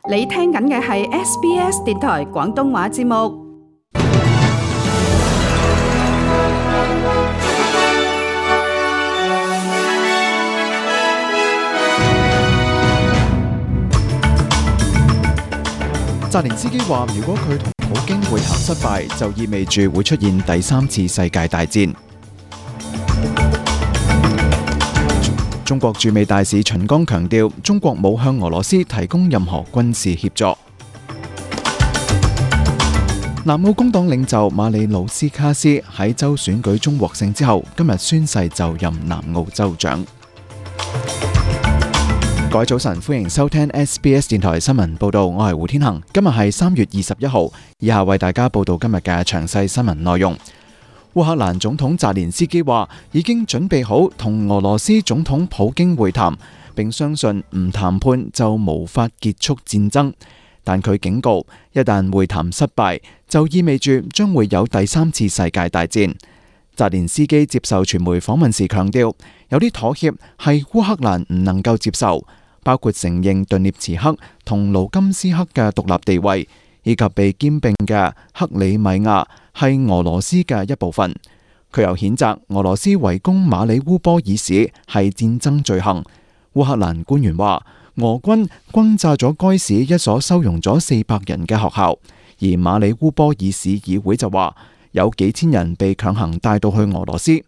你聽緊嘅係 SBS 電台廣東話節目。澤連斯基話：如果佢同普京會談失敗，就意味住會出現第三次世界大戰。中國駐美大使秦剛強調，中國冇向俄羅斯提供任何軍事協助。南澳工黨領袖馬里魯斯卡斯喺州選舉中獲勝之後，今日宣誓就任南澳州長。各位早晨，歡迎收聽 SBS 電台新聞報道，我係胡天恒。今日係3月21號，以下為大家報道今日嘅詳細新聞內容。烏克蘭總統澤連斯基話已經準備好同俄羅斯總統普京會談，並相信唔談判就無法結束戰爭。但佢警告，一旦會談失敗，就意味住將會有第三次世界大戰。澤連斯基接受傳媒訪問時強調，有啲妥協係烏克蘭唔能夠接受，包括承認頓涅茨克同盧甘斯克嘅獨立地位，以及被兼併嘅克里米亞係俄羅斯嘅一部分。佢又譴責俄羅斯圍攻馬里烏波爾市係戰爭罪行。烏克蘭官員話，俄軍轟炸咗該市一所收容咗400人嘅學校，而馬里烏波爾市議會就話有幾千人被強行帶到去俄羅斯。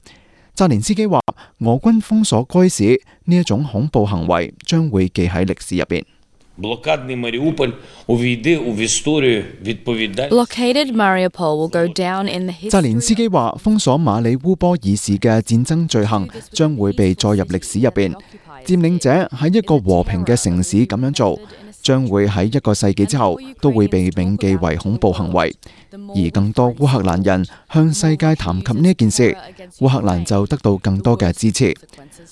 澤連斯基話，俄軍封鎖該市呢一種恐怖行為將會記喺歷史入邊。Blockaded Mariupol will go down in the history. 澤連斯基話，封鎖馬里烏波爾市嘅戰爭罪行將會被載入歷史入邊。佔領者喺一個和平嘅城市咁樣做，將會喺1個世紀之後都會被銘記為恐怖行為。而更多烏克蘭人向世界談及呢件事，烏克蘭就得到更多嘅支持。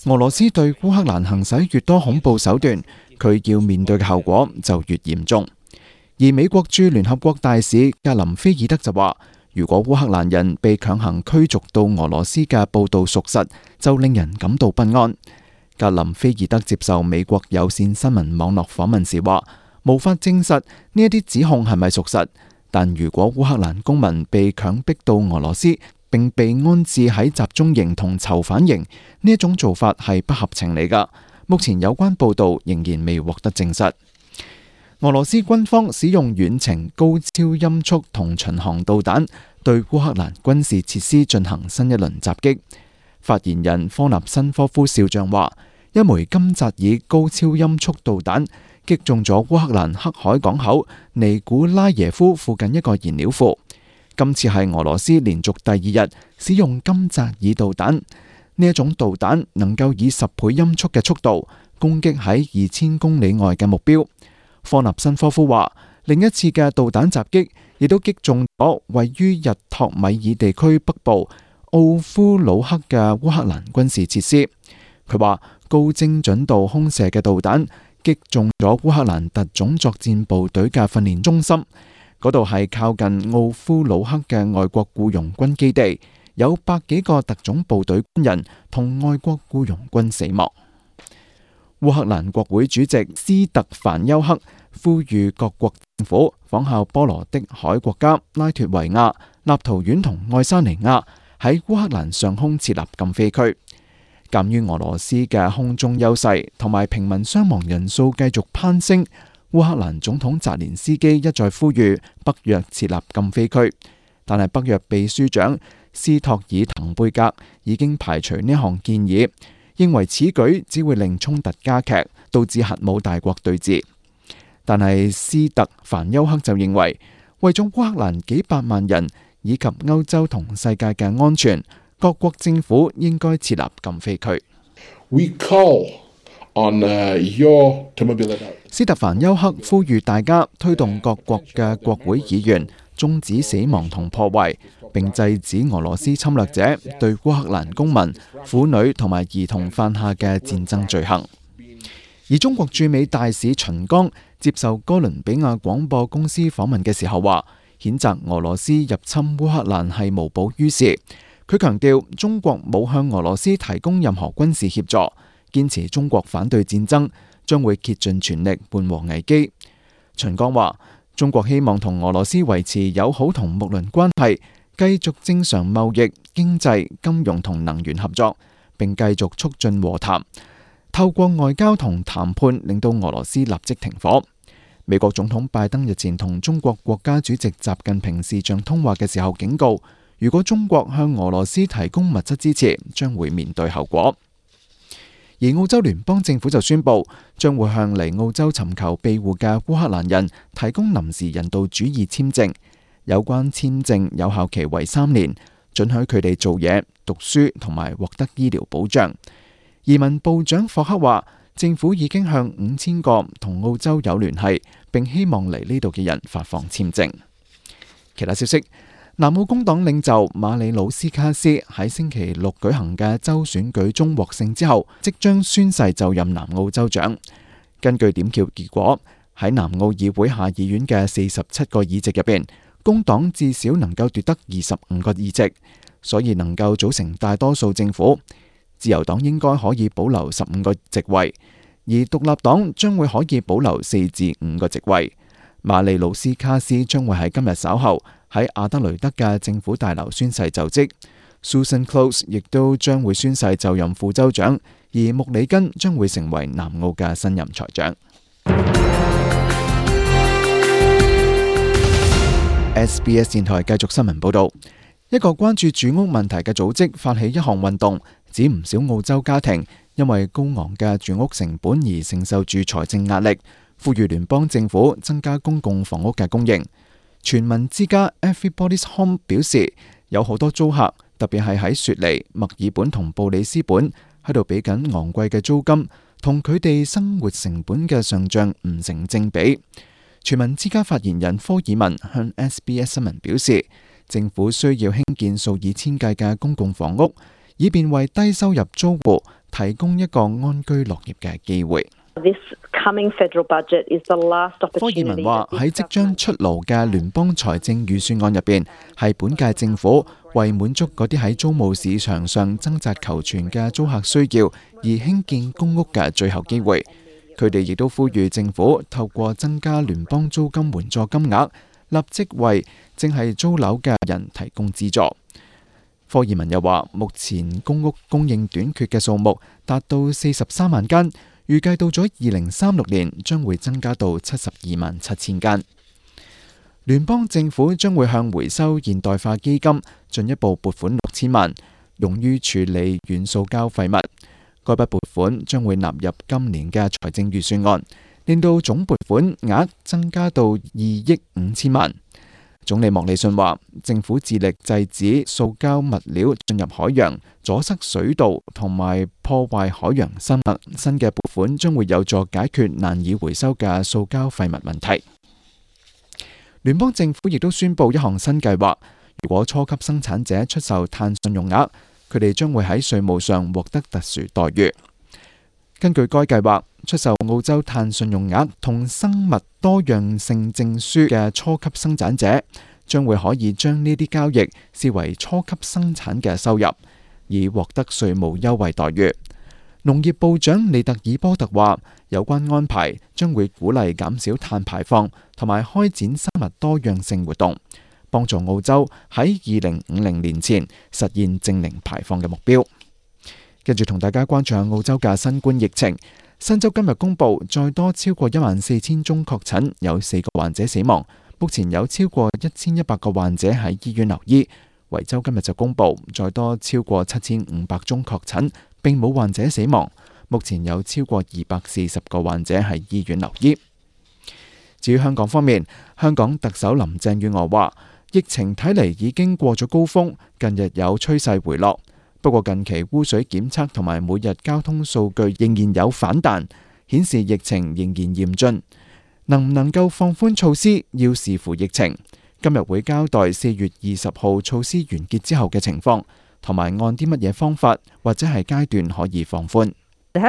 俄羅斯對烏克蘭行使越多恐怖手段，佢要面對嘅後果就越嚴重。而美國駐聯合國大使格林菲爾德就話，如果烏克蘭人被強行驅逐到俄羅斯嘅報道屬實，就令人感到不安。格林菲爾德接受美國有線新聞網絡訪問時話，無法證實呢一啲指控係咪屬實，但如果烏克蘭公民被強迫到俄羅斯並被安置喺集中營同囚犯營，呢一種做法係不合情理㗎。目前有關報道仍然未獲得證實。俄羅斯軍方使用遠程高超音速同巡航導彈對烏克蘭軍事設施進行新一輪襲擊。發言人科納申科夫少將話，一枚金扎爾高超音速導彈擊中咗烏克蘭黑海港口尼古拉耶夫附近一個燃料庫。今次係俄羅斯連續第2日使用金扎爾導彈，呢一種導彈能夠以10倍音速嘅速度攻擊喺2000公里外嘅目標。科納申科夫話，另一次嘅導彈襲擊亦都擊中咗位於日托米爾地區北部奧夫魯克嘅烏克蘭軍事設施。佢話，高精準度空射嘅導彈擊中咗烏克蘭特種作戰部隊嘅訓練中心，嗰度係靠近奧夫魯克嘅外國僱傭軍基地，有100幾個特種部隊軍人同外國僱傭軍死亡。烏克蘭國會主席斯特凡丘克呼籲各國政府仿效波羅的海國家拉脱維亞、立陶宛同愛沙尼亞喺烏克蘭上空設立禁飛區。鑑於俄羅斯嘅空中優勢同埋平民傷亡人數繼續攀升，烏克蘭總統澤連斯基一再呼籲北約設立禁飛區，但係北約秘書長斯托爾滕貝格已經排除呢項建議，認為此舉只會令衝突加劇，導致核武大國對峙。但係斯特凡丘克就認為，為咗烏克蘭幾百萬人以及歐洲同世界嘅安全，各國政府應該設立禁飛區。斯特凡丘克呼籲大家推動各國嘅國會議員終止死亡同破壞，並制止俄羅斯侵略者對烏克蘭公民、婦女同埋兒童犯下嘅戰爭罪行。而中國駐美大使秦剛接受哥倫比亞廣播公司訪問嘅時候話，譴責俄羅斯入侵烏克蘭係無補於事。佢強調中國冇向俄羅斯提供任何軍事協助，堅持中國反對戰爭，將會竭盡全力緩和危機。秦剛話：中國希望同俄羅斯維持友好同睦鄰關係，繼續正常貿易、經濟、金融同能源合作，並繼續促進和談，透過外交同談判令到俄羅斯立即停火。美國總統拜登日前同中國國家主席習近平視像通話嘅時候警告，如果中國向俄羅斯提供物質支持，將會面對後果。而澳洲聯邦政府就宣布，將會向嚟澳洲尋求庇護嘅烏克蘭人提供臨時人道主義簽證，有關簽證有效期為3年，准許佢哋做嘢、讀書同埋獲得醫療保障。移民部長霍克話，政府已經向5000個同澳洲有聯繫並希望嚟呢度嘅人發放簽證。其他消息，南澳工黨領袖馬里魯斯卡斯喺星期六舉行嘅州選舉中獲勝之後，即將宣誓就任南澳州長。根據點票結果，喺南澳議會下議院嘅47個議席入邊，工黨至少能夠奪得25個議席，所以能夠組成大多數政府。自由黨應該可以保留15個席位，而獨立黨將會可以保留4至5個席位。馬里魯斯卡斯將會喺今日稍後喺阿德雷德嘅政府大樓宣誓就職。Susan Close 亦都將會宣誓就任副州長，而穆里根將會成為南澳嘅新任財長。SBS 電台繼續新聞報道，一個關注住屋問題嘅組織發起一項運動，指唔少澳洲家庭因為高昂嘅住屋成本而承受住財政壓力，呼籲聯邦政府增加公共房屋嘅供應。全民之家 Everybody's Home 表示，有好多租客，特別係喺雪梨、墨爾本同布里斯本，喺度俾緊昂貴嘅租金，同佢哋生活成本嘅上漲唔成正比。全民之家發言人科爾文向 SBS 新聞表示，政府需要興建數以千計嘅公共房屋，以便為低收入租戶提供一個安居樂業嘅機會。科爾文話，喺即將出爐嘅聯邦財政預算案入邊，係本屆政府為滿足嗰啲喺租務市場上掙扎求存嘅租客需要而興建公屋嘅最後機會。佢哋亦都呼籲政府透過增加聯邦租金援助金額，立即為正係租樓嘅人提供資助。科爾文又話，目前公屋供應短缺嘅數目達到43萬間，預計到咗2036年將會增加到72萬7千間。聯邦政府將會向回收現代化基金進一步撥款6000萬，用於處理軟塑膠廢物。該筆撥款將會納入今年嘅財政預算案，令到總撥款額增加到2億5千萬。總理莫里遜話，政府致力制止塑膠物料進入海洋，阻塞水道同埋破壞海洋生物。新嘅撥款將會有助解決難以回收嘅塑膠廢物問題。聯邦政府亦都宣布一項新計劃，如果初級生產者出售碳信用額，佢哋將會喺稅務上獲得特殊待遇。根據該計劃，出售澳洲碳信用額同生物多樣性證書嘅初級生產者，將會可以將呢啲交易視為初級生產嘅收入，以獲得稅務優惠待遇。農業部長利特爾波特話，有關安排將會鼓勵減少碳排放同埋開展生物多樣性活動，幫助澳洲喺2050年前實現淨零排放嘅目標。跟住同大家關注下澳洲嘅新冠疫情。新州今日公布再多超過14000宗確診，有4個患者死亡。目前有超過1100個患者喺醫院留醫。維州今日就公布再多超過7500宗確診，並冇患者死亡。目前有超過240個患者喺醫院留醫。至於香港方面，香港特首林鄭月娥話，疫情睇嚟已經過咗高峰，近日有趨勢回落。不過近期污水檢測同埋每日交通數據仍然有反彈，顯示疫情仍然嚴峻。能唔能夠放寬措施，要視乎疫情。今日會交代4月20號措施完結之後嘅情況，同埋按啲乜嘢方法或者係階段可以放寬。林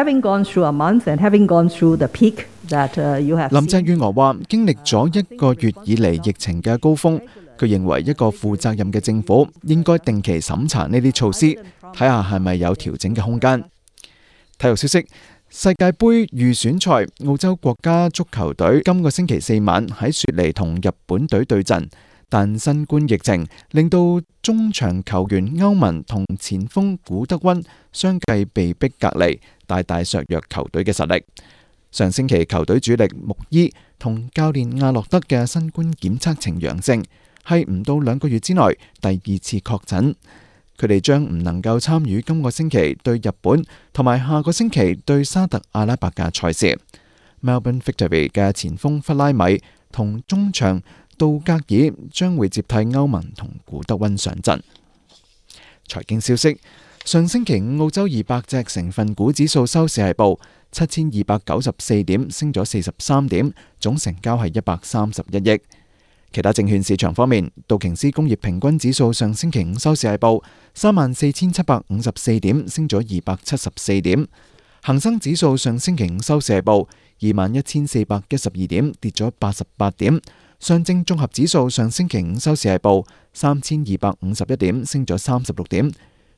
鄭月娥話，經歷咗1個月以嚟疫情嘅高峰，佢認為一個負責任嘅政府應該定期審查呢啲措施，睇下係咪有調整嘅空間。體育消息，世界盃預選賽，澳洲國家足球隊今個星期4晚喺雪梨同日本隊對陣，但新冠疫情令到中場球員歐文同前鋒古德溫相繼被逼隔離，大大削弱球隊嘅實力。上星期球隊主力穆伊同教練亞洛德嘅新冠檢測呈陽性，係唔到2個月之內第2次確診。佢哋將唔能夠參與今個星期對日本同埋下個星期對沙特阿拉伯嘅賽事。Melbourne Victory 嘅前鋒弗拉米同中場杜格爾將會接替歐文同古德溫上陣。財經消息：上星期5澳洲200隻成分股指數收市係報7294點，升咗43點，總成交係131億。其他證券市場方面，道瓊斯工業平均指數上星期5收市係報34,754點，升咗274點。恒生指數上星期5收市係報21,412點，跌咗88點。上證綜合指數上星期5收市係報3,251點，升咗36點。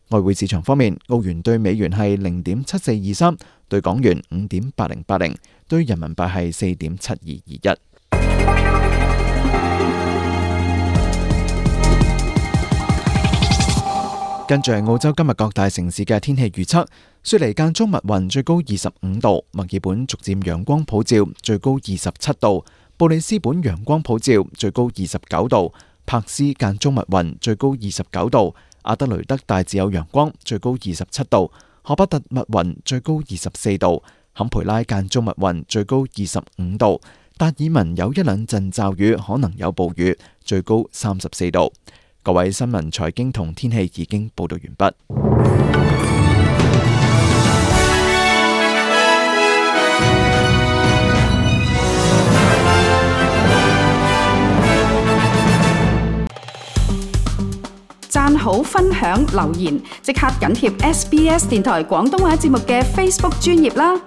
外匯市場方面，澳元對美元係0.7423，對港元5.8080，對人民幣係4.7221。跟住係澳洲今日各大城市嘅天氣預測：雪梨間中密雲，最高25度；墨爾本逐漸陽光普照，最高27度；布里斯本陽光普照，最高29度；柏斯間中密雲，最高29度；阿德雷德大致有陽光，最高27度；荷巴特密雲，最高24度；坎培拉間中密雲，最高25度；達爾文有1-2陣驟雨，可能有暴雨，最高34度。各位新聞、財經同天氣已經報道完畢。讚好、分享、留言，即刻緊貼SBS 電台廣東話節目嘅 Facebook 專頁啦！